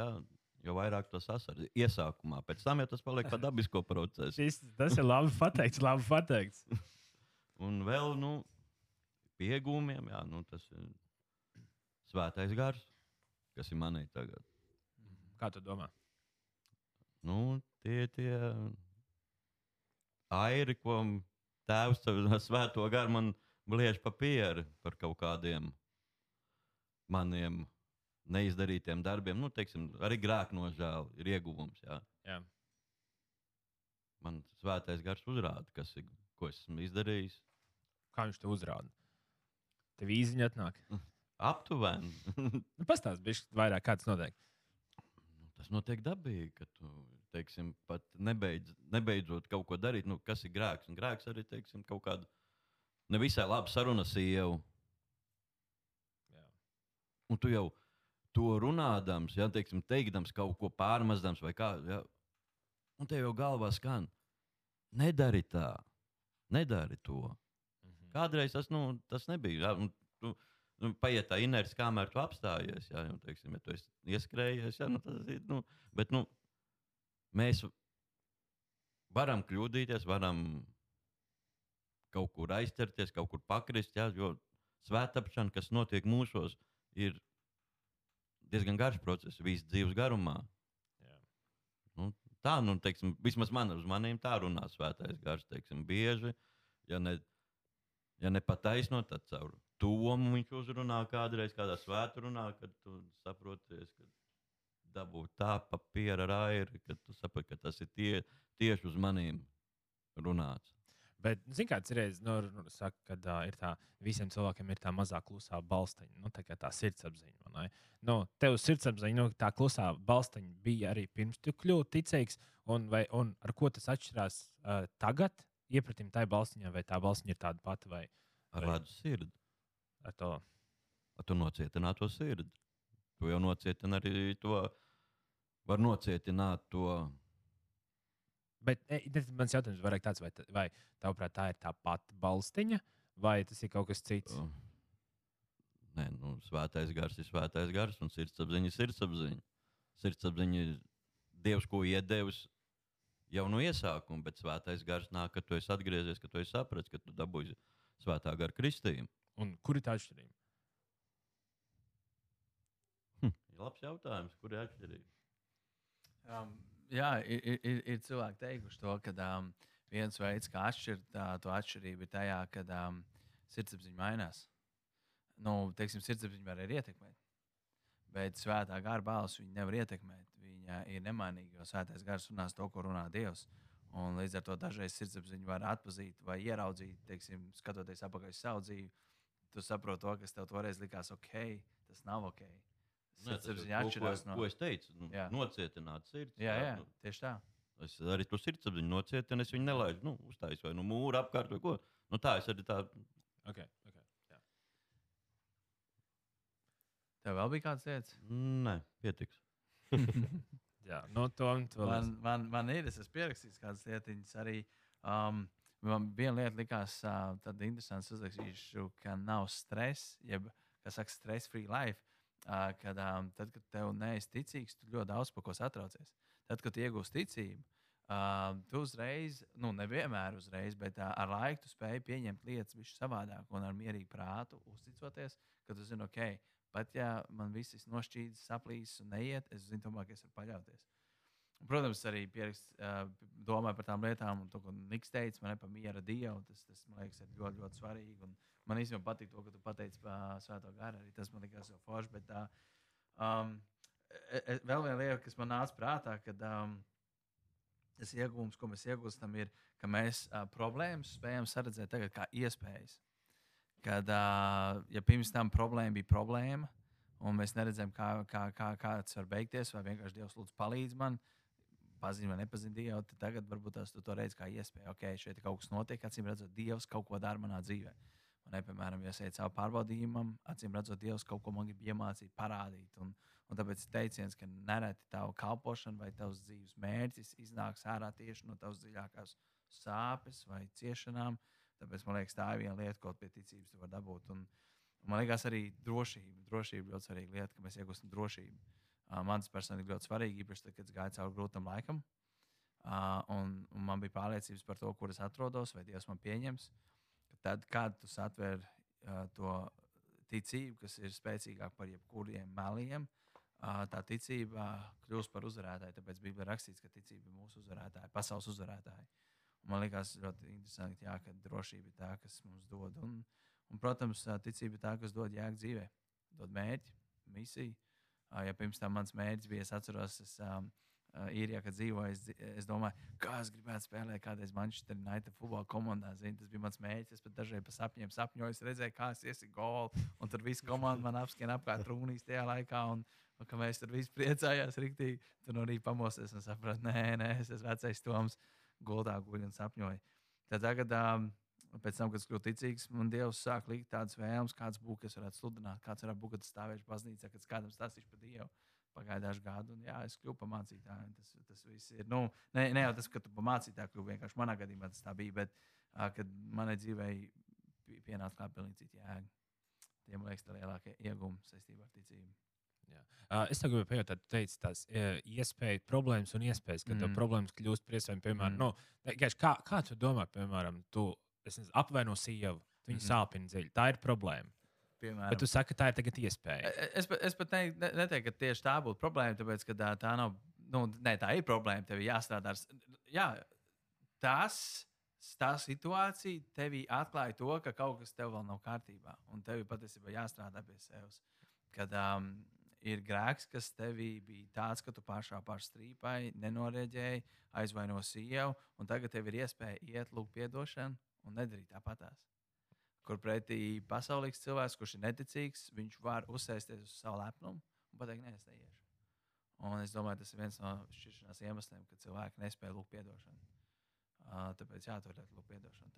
jo vairāk tas asaras iesākumā. Pēc tam jau tas paliek pa dabisko procesu. Tas ir labi pateikts. Un vēl, pie iegūmiem, tas ir svētais gars, kas ir manī tagad. Kā tu domā? Tie airi, ko tēvs svēto garu man bliež pa pieri par kaut kādiem maniem neizdarītiem darbiem. Teiksim, arī grēknožēla ir ieguvums. Jā. Man svētais gars uzrāda, ko esmu izdarījis. Kā viņš te uzrāda? Tev īziņa atnāk? Aptuveni. Pastāst bišķi vairāk, kā tas notiek. Tas notiek dabīgi, ka tu, teiksim, pat nebeidzot kaut ko darīt, kas ir grēks. Un grēks arī, teiksim, kaut kādu nevisai labu sarunu sievu. Un tu jau to runādams, teikdams kaut ko pārmazdams vai kā, un tev jau galvā skan, nedari tā, nedari to. Kādreiz tas nebija. Jā, paiet tā inerce, kamēr tu apstājies. Jā, teiksim, ja tu esi ieskrējies, jā, tas ir. Bet mēs varam kļūdīties, varam kaut kur aizķerties, kaut kur pakrist, jā, jo svētapšana, kas notiek mūsos, ir diezgan garš process, visas dzīves garumā. Jā. Tā, teiksim, vismaz uz maniem tā runā svētais gars, teiksim, bieži, ja ne pataisnot, tad caur tomu viņš uzrunā kādreiz, kādā svētrunā, kad tu saproties, ka dabūt tā papīra rairi, kad tu saproti, ka tas ir tieši uz maniem runāts. Bet, zini, kāds reiz saka, ka ir tā, visiem cilvēkiem ir tā mazā klusā balstiņa, tā sirdsapziņa. Tev sirdsapziņa, tā klusā balstiņa bija arī pirms tu kļūti ticīgs, un ar ko tas atšķirās tagad, iepratim tai balstiņai, vai tā balstiņa ir tāda pati? Ar lēdu sirdi. Ar to. Ar tu nocietināt to sirdi. Tu jau nocietini arī to, var nocietināt to. Bet mans jautājums varētu tāds, vai tavuprāt tā ir tā pati balstiņa, vai tas ir kaut kas cits? Nē, svētais gars ir svētais gars, un sirdsapziņa ir sirdsapziņa. Sirdsapziņa ir Dievs, ko iedevis jau no iesākuma, bet svētais gars nāk, kad tu esi atgriezies, kad tu esi sapratis, ka tu dabūji svētā gara kristījumu. Un kur ir tā atšķirība? Ir labs jautājums, kur ir atšķirība? Jā, ir cilvēki teikuši to, ka viens veids, kā atšķirt to atšķirību, ir tajā, kad sirdsapziņa mainās. Teiksim, sirdsapziņa var arī ietekmēt, bet svētā gara balss viņu nevar ietekmēt. Viņa ir nemainīga, jo svētais gars runās to, ko runā Dievs. Un līdz ar to dažreiz sirdsapziņu var atpazīt vai ieraudzīt, teiksim, skatoties apakaļ uz savu dzīvi. Tu saproti to, kas tev toreiz likās ok, tas nav ok. Sirdsapziņa atšķirās no... Ko es teicu? Nocietināt sirds. Jā, tieši tā. Es arī to sirdsapziņu nocietinu, es viņu nelaidu, uztājas vai mūru apkārt vai ko. Tā es arī tā... Okay. Jā. Tev vēl bija kāds lietas? Nē, pietiks. Jā, to vēl man ir, es esmu pierakstījis kādas lietiņas arī. Man viena lieta likās tad interesants uzrakstīšu, ka nav stress, jeb, kā saka, stress-free life, kad tad, kad tev neesi ticīgs, tu ļoti daudz par ko satraucies. Tad, kad tu iegūsi ticību, tu uzreiz, nevienmēr uzreiz, bet ar laiku tu spēj pieņemt lietas visu savādāk un ar mierīgu prātu uzticoties, ka tu zini, ok, pat ja man viss ir nošķīdis, saplīsis un neiet, es zinu tomēr, ka es varu paļauties. Protams, arī domāju par tām lietām, un to, ko Niks teica, man par miera Dievu. Tas man liekas, ir ļoti, ļoti svarīgi. Un man īstenībā patīk to, ka tu pateici par Svēto garu. Arī tas man likās jau forši. Bet vēl viena lieta, kas man nāca prātā, kad tas iegūms, ko mēs iegūstam, ir, ka mēs problēmas spējam saredzēt tagad kā iespējas. Kad, ja pirms tam problēma bija problēma, un mēs neredzam, kā tas var beigties, vai vienkārši Dievs lūdzu palīdz man, pazina vai nepazina Dievu, tad tagad varbūt tu to redzi kā iespēju. Ok, šeit kaut kas notiek, acīm redzot, Dievs kaut ko dara manā dzīvē. Un, piemēram, ja es eju cauri pārbaudījumam, acīm redzot, Dievs kaut ko man grib iemācīt, parādīt. Un tāpēc teiciens, ka nereti tavu kalpošanu vai tavs dzīves mērķis iznāks ārā tieši no tavas dziļākās sāpes vai ciešanām. Tāpēc man liekas, tā ir viena lieta, ko pie ticības tu vari dabūt. Un man liekas arī drošība. Drošība ir ļoti svarīga lieta, ka mēs iegūstam drošību. Man tas personīgi ļoti svarīgi, īpaši tad, kad es gāju cauri grūtam laikam. Un man bija pārliecības par to, kur es atrodos, vai Dievs man pieņems. Tad, kad tu satver to ticību, kas ir spēcīgāka par jebkuriem meliem, tā ticība kļūst par uzvarētāju. Tāpēc Bībelē rakstīts, ka ticība ir mūsu uzvarētāja, pasaules uzvarētāja. Un man liekas ļoti interesanti, ka drošība ir tā, kas mums dod. Un, protams, ticība ir tā, kas dod jēgu dzīvē. Dod mērķi, misiju. Ja pirms tam mans mērķis bija, es atceros, īrijā, kad dzīvoju, es domāju, kā es gribētu spēlēt kādreiz Manchester United futbola komandā. Zini, tas bija mans mērķis. Es pat dažreiz pa sapņiem sapņoju, es redzēju, kā es iesiku golu. Un tur viss komanda man apskrien apkārt trūnīs tajā laikā. Un ka mēs tur visi priecājās riktīgi. Tur no rīta pamosties un saprat, nē, es esmu vecais Toms, gultā guļ un sapņoju. Tad tagad, pēc tam, kad es kļuvu ticīgs, man Dievs sāk likt tādas vēlmes, kāds būtu, kas varētu sludināt, kāds varētu būt, kad stāvēšu baznīcā, kad kādam stāstīšu par Dievu. pagāja daži gadi, un jā, es kļuvu par mācītāju. Tas viss ir. Nu, ne jau tas, ka tu par mācītāju kļuvi, vienkārši manā gadījumā tas tā bija, bet kad manai dzīvei pienāca klāt pilnīgi cita jēga. Tie, man liekas, tā lielākie iegūmi saistībā ar ticību. Es tev gribēju pajautāt, tu teici tās iespējas, problēmas un iespējas, kad tev problēmas kļūst par iespējām, piemēram, kā tu domā, piemēram, tu apvaino sievu, viņa sāpina dziļi, tā ir problēma. Piemēram. Bet tu saki, ka tā ir tagad iespēja. Es pat neteiktu, ka tieši tā būtu problēma, tāpēc, ka tā nav, tā ir problēma, tev ir jāstrādā. Jā, tā situācija tevī atklāja to, ka kaut kas tev vēl nav kārtībā, un tev ir patiesībā jāstrādā pie sevis. Kad ir grēks, kas tevī bija tāds, ka tu pārstrīpai, nenorēģēji, aizvaino sievu, un tagad tev ir iespēja iet lūgt piedošanu un nedarīt tāpatās. Kur pretī pasaulīgs cilvēks, kurš ir neticīgs, viņš var uzsēsties uz savu lepnumu un pateikt, nē, es neiešu. Un es domāju, tas ir viens no šķiršanās iemesliem, ka cilvēki nespēja lūgt piedošanu. Tāpēc jā, tu varētu lūgt piedošanu.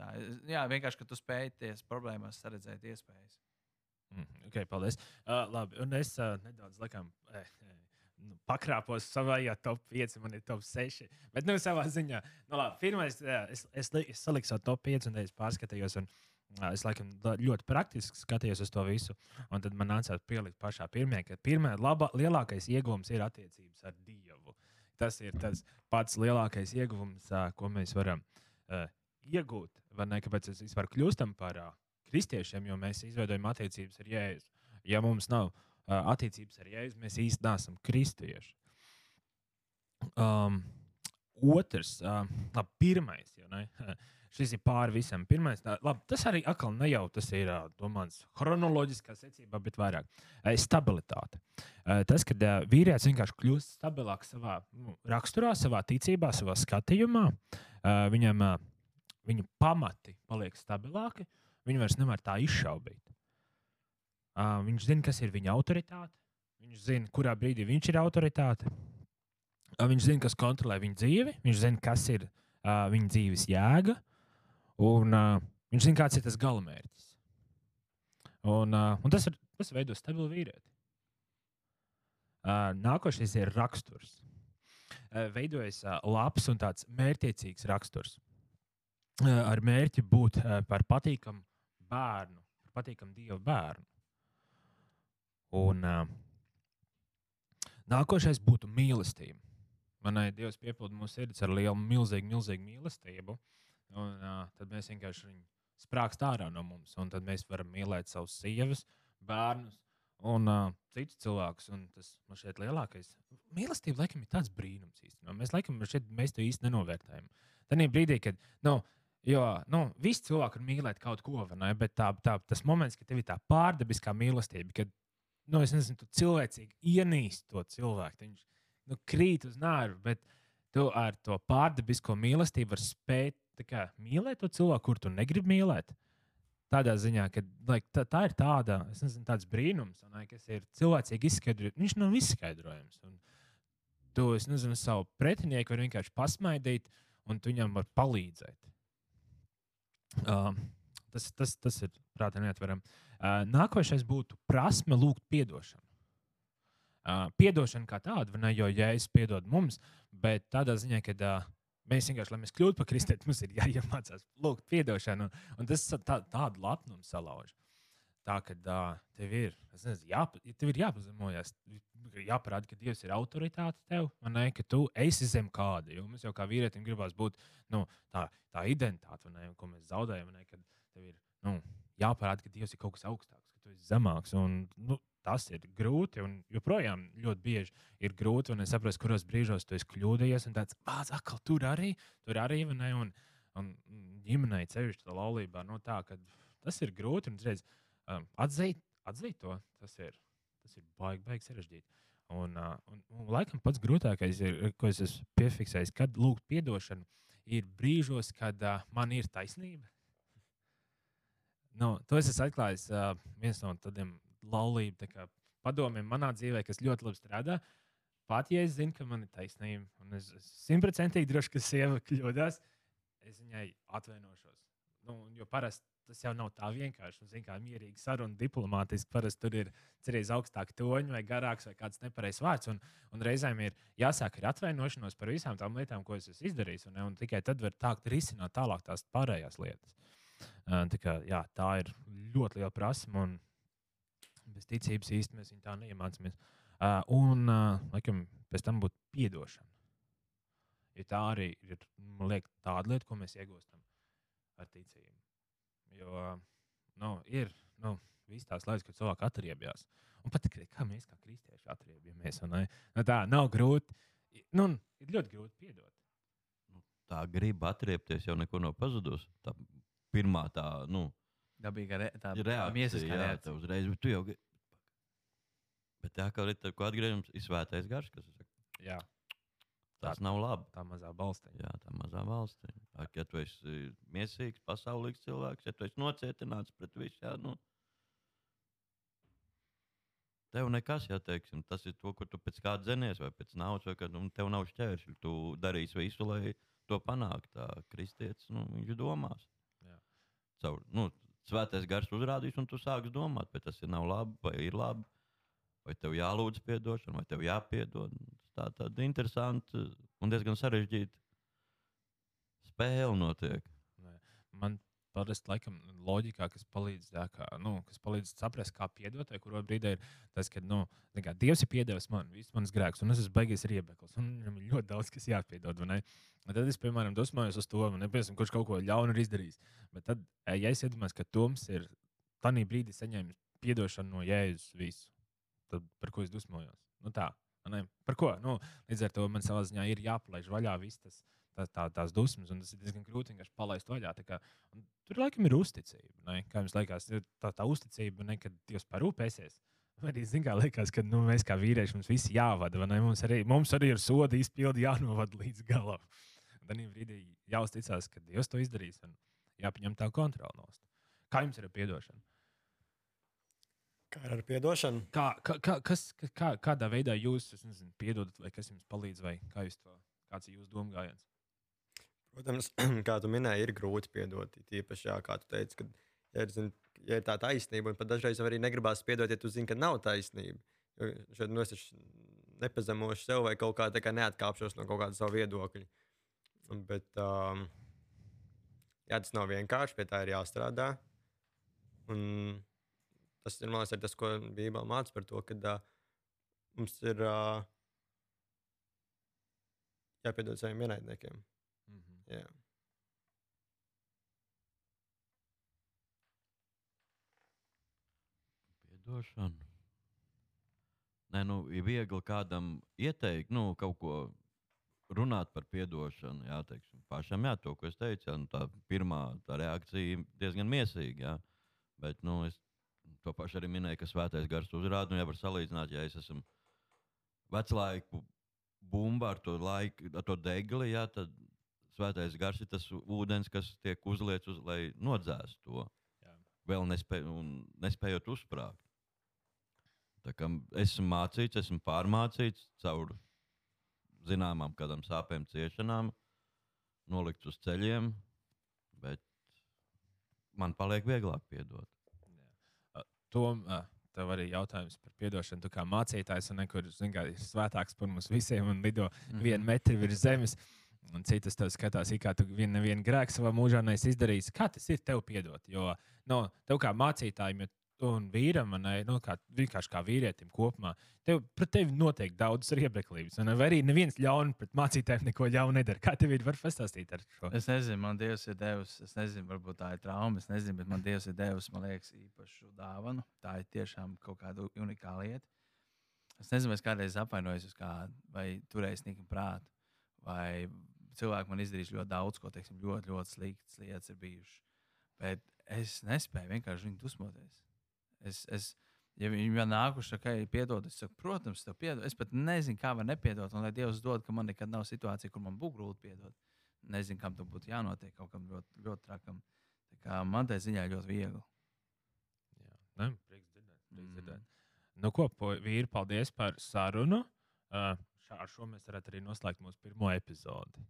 Jā, vienkārši, ka tu spēj ties problēmās saredzēt iespējas. Ok, paldies. Labi, un es nedaudz laikam pakrāpos savā top 5, man ir top 6. Bet savā ziņā, labi, pirmais, es saliku savu top 5 un es pārskatījos. Un, es laikam ļoti praktiski skatījos uz to visu. Un tad man nācās pielikt pašā pirmajā, ka lielākais ieguvums ir attiecības ar Dievu. Tas ir tas pats lielākais ieguvums, ko mēs varam iegūt. Vai ne? Kāpēc mēs vispār kļūstam par kristiešiem, jo mēs izveidojam attiecības ar Jēzu. Ja mums nav attiecības ar Jēzu, mēs īsti neesam kristieši. Otrs, pirmais, jau ne? Šis ir pāri visam. Pirmais, tas arī atkal ne jau tas ir domāts chronoloģiskā secībā, bet vairāk stabilitāte. Tas, kad vīrietis vienkārši kļūst stabilāks savā raksturā, savā ticībā, savā skatījumā, viņa pamati paliek stabilāki, viņu vairs nevar tā izšaubīt. Viņš zina, kas ir viņa autoritāte, viņš zina, kurā brīdī viņš ir autoritāte, viņš zina, kas kontrolē viņa dzīvi, viņš zina, kas ir viņa dzīves jēga, un viņš zina, kāds ir tas galamērķis. Un tas veido stabilu vīrieti. Nākošais ir raksturs. Veidojas labs un tāds mērķiecīgs raksturs. Ar mērķi būt par patīkamu bērnu, par patīkamu Dieva bērnu. Un nākošais būtu mīlestība. Manai Dievs piepilda mūsu sirdis ar lielu, milzīgu mīlestību. Un tad mēs vienkārši viņu sprākst ārā no mums. Un tad mēs varam mīlēt savus sievas, bērnus un citus cilvēkus. Un tas man šķiet lielākais. Mīlestība laikam ir tāds brīnums īstenībā. Mēs to īsti nenovērtējam. Tad brīdī, kad visi cilvēki var mīlēt kaut ko, ne? Bet tas moments, kad tev ir tā pārdabiskā mīlestība, kad es nezinu, tu cilvēcīgi ienīsti to cilvēku. Viņš krīt uz nārvu, bet tu ar to pārdabisko mīlestību vari spēt mīlēt to cilvēku, kur tu negribi mīlēt. Tādā ziņā, ka tā ir tāds brīnums, kas ir cilvēcīgi izskaidrojams. Viņš nav izskaidrojams. Un tu, savu pretinieku var vienkārši pasmaidīt, un tu viņam var palīdzēt. Tas ir prātā neatveram. Nākošais būtu prasme lūgt piedošanu. Piedošana kā tāda, ne jau Jēzus piedod mums, bet tādā ziņā, ka mēs vienkārši, lai mēs kļūtu par kristieti, mums ir jāiemācās lūgt piedošanu. Un tas tādu lepnumu salauž. Tā, ka tev ir jāpazemojas, jāparāda, ka Dievs ir autoritāte tev, ne, ka tu esi zem kāda. Jo mums jau kā vīrietim gribās būt tā identitāte, ne, ko mēs zaudējam, ne, kad tev ir jāparāda, ka Dievs ir kaut kas augstāks, ka tu esi zemāks. Un, tas ir grūti, un joprojām ļoti bieži ir grūti, un es saprotu, kuros brīžos tu esi kļūdījies, un tāds, atkal tur arī, ne, un ģimenei cevišķi tā laulībā, tā, ka tas ir grūti, un redz, atzīt to, tas ir baigi sarežģīti. Un laikam pats grūtākais ir, ko es esmu piefiksējis, kad lūgt piedošanu, ir brīžos, kad man ir taisnība. To es esmu atklājis viens no tādiem laulību padomiem manā dzīvē, kas ļoti labi strādā. Pat ja es zinu, ka man ir taisnība, un es 100% droši, ka sieva kļūdās, es viņai atvainošos. Jo parasti tas jau nav tā vienkārši. Zin, kā mierīgi saruna, diplomātiski. Parasti tur ir cerēs augstāki toņi vai garāks vai kāds nepareizs vārds. Un reizēm ir jāsāk ar atvainošanos par visām tām lietām, ko es esmu izdarījis. Un tikai tad var tākt risināt tālāk tās pārējās lietas. Tā kā, jā, tā ir ļoti liela prasme. Un bez ticības īsti mēs viņu tā neiemācāmies. Laikam, pēc tam būtu piedošana. Jo tā arī ir, man liekas, tāda lieta, ko mēs iegūstam ar ticību. Jo ir visas tās lietas, kad cilvēki atriebjās. Un pat kā mēs kā kristieši atriebjamies. Tā nav grūti. Ir ļoti grūti piedot. Tā griba atriebties jau neko nav pazudusi. Tā pirmā tā, dabīga reakcija. Miesiskā reakcija. Uzreiz, bet tu jau... Bet tā kā ir atgriežams, ir svētais gars, kas saka. Jā. Tas nav labi. Tā mazā balstiņa. Jā, tā mazā valstiņa. Ja tu esi miesīgs, pasaulīgs cilvēks, ja tu esi nocietināts pret visu, tev nekas, teiksim, tas ir to, kur tu pēc kā dzenies, vai pēc naudas, vai tev nav šķēršļi. Tu darīsi visu, lai to panāktu. Tā kristietis, viņš domās. Jā. Caur, svētais gars uzrādīs, un tu sāksi domāt, vai tas nav labi, vai ir labi, vai tev jālūdz piedošana, vai tev jāpiedod. Tā tāda interesanta un diezgan sarežģīta spēle notiek. Man parasti laikam loģikā, kas palīdz, kas palīdz saprast, kā piedot, vai kurā brīdī ir tas, ka Dievs ir piedevis man visus manus grēkus, un es esmu baigies riebeklis, un viņam ir ļoti daudz, kas jāpiedod. Tad es, piemēram, dusmojos uz to, kurš kaut ko ļaunu ir izdarījis. Bet tad, ja es iedomājos, ka Toms ir tanī brīdī saņēmis piedošanu no Jēzus visu, tad par ko es dusmojos? Tā. Par ko? Līdz ar to man savā ziņā ir jāpalaiž vaļā visas tās dusmas, un tas ir diezgan grūti vienkārši palaist vaļā. Tur laikam ir uzticība. Kā jums liekas, tā uzticība, kad Dievs parūpēsies. Arī liekas, ka mēs kā vīrieši mums visi jāvada. Mums arī ir soda izpildi jānovada līdz galam. Tad brīdī jāuzticās, ka Dievs to izdarīs un jāpieņem tā kontrola nost. Kā jums ir ar piedošanu? Kā ar piedošanu? Kādā veidā jūs piedodat, vai kas jums palīdz, vai kāds ir jūsu domgājiens? Protams, kā tu minēji, ir grūti piedot. Tīpaši, kā tu teici, ka ja ir tā taisnība, un pat dažreiz arī negribās piedot, ja tu zini, ka nav taisnība. Jo šeit es nepazemošu sev vai kaut kā neatkāpšos no kaut kāda savu viedokļa. Bet tas nav vienkārši, pie tā ir jāstrādā. Un tas ir, man liekas, tas, ko Bībele māca par to, ka mums ir jāpiedod saviem ienaidniekiem. Jā. Piedošana. Nē, ir viegli kādam ieteikt, kaut ko runāt par piedošanu. Jā, teiksim, pašam, to, ko es teicu, tā pirmā tā reakcija diezgan miesīga. Jā. Bet, es to pašu arī minēju, ka svētais gars uzrāda, ja var salīdzināt, ja es esmu veclaiku bumba ar to degli, tad svētais gars ir tas ūdens, kas tiek uzliets, lai nodzēstu to. Jā. Vēl nespējot uzsprāgt. Tā kā esmu mācīts, esmu pārmācīts caur zināmām kādām sāpēm, ciešanām, nolikts uz ceļiem, bet man paliek vieglāk piedot. Tom, tev arī jautājums par piedošanu. Tu kā mācītājs, kur ir svētāks par mums visiem un lido 1 metru virs zemes. Un citas tev skatās, kā tu nevienu grēku savā mūžā neesi izdarījis. Kā tas ir tev piedot? Jo tev kā mācītājiem un vīram, vienkārši kā vīrietim kopumā, pret tevi notiek daudz riebeklības. Vai arī neviens ļauni pret mācītājiem neko ļaunu nedara. Kā tev ir? Var pastāstīt ar šo? Es nezinu, man Dievs ir devis, es nezinu, varbūt tā ir trauma, es nezinu, bet man Dievs ir devis, man liekas, īpašu dāvanu. Tā ir tiešām kaut kāda unikāla lieta. Es nezinu, es kādreiz apvainojos uz kādu, vai turējis niknu prātu, vai cilvēki man izdarīs ļoti daudz, ko, teiksim, ļoti, ļoti sliktas lietas ir bijušas. Bet es nespēju vienkārši viņu dusmoties. Ja viņi man nākuši, ka ir piedod, es saku, protams, tev piedod. Es pat nezinu, kā var nepiedot, un lai Dievs dod, ka man nekad nav situācija, kur man būtu grūti piedot. Nezinu, kam tam būtu jānotiek, kaut kam ļoti, ļoti trakam. Tā kā man tā ziņā ļoti viegli. Jā, prieks dzirdēt. Ko, vīri, paldies par sarunu. Ar šo mēs varētu arī noslēgt mūsu pirmo epizodi.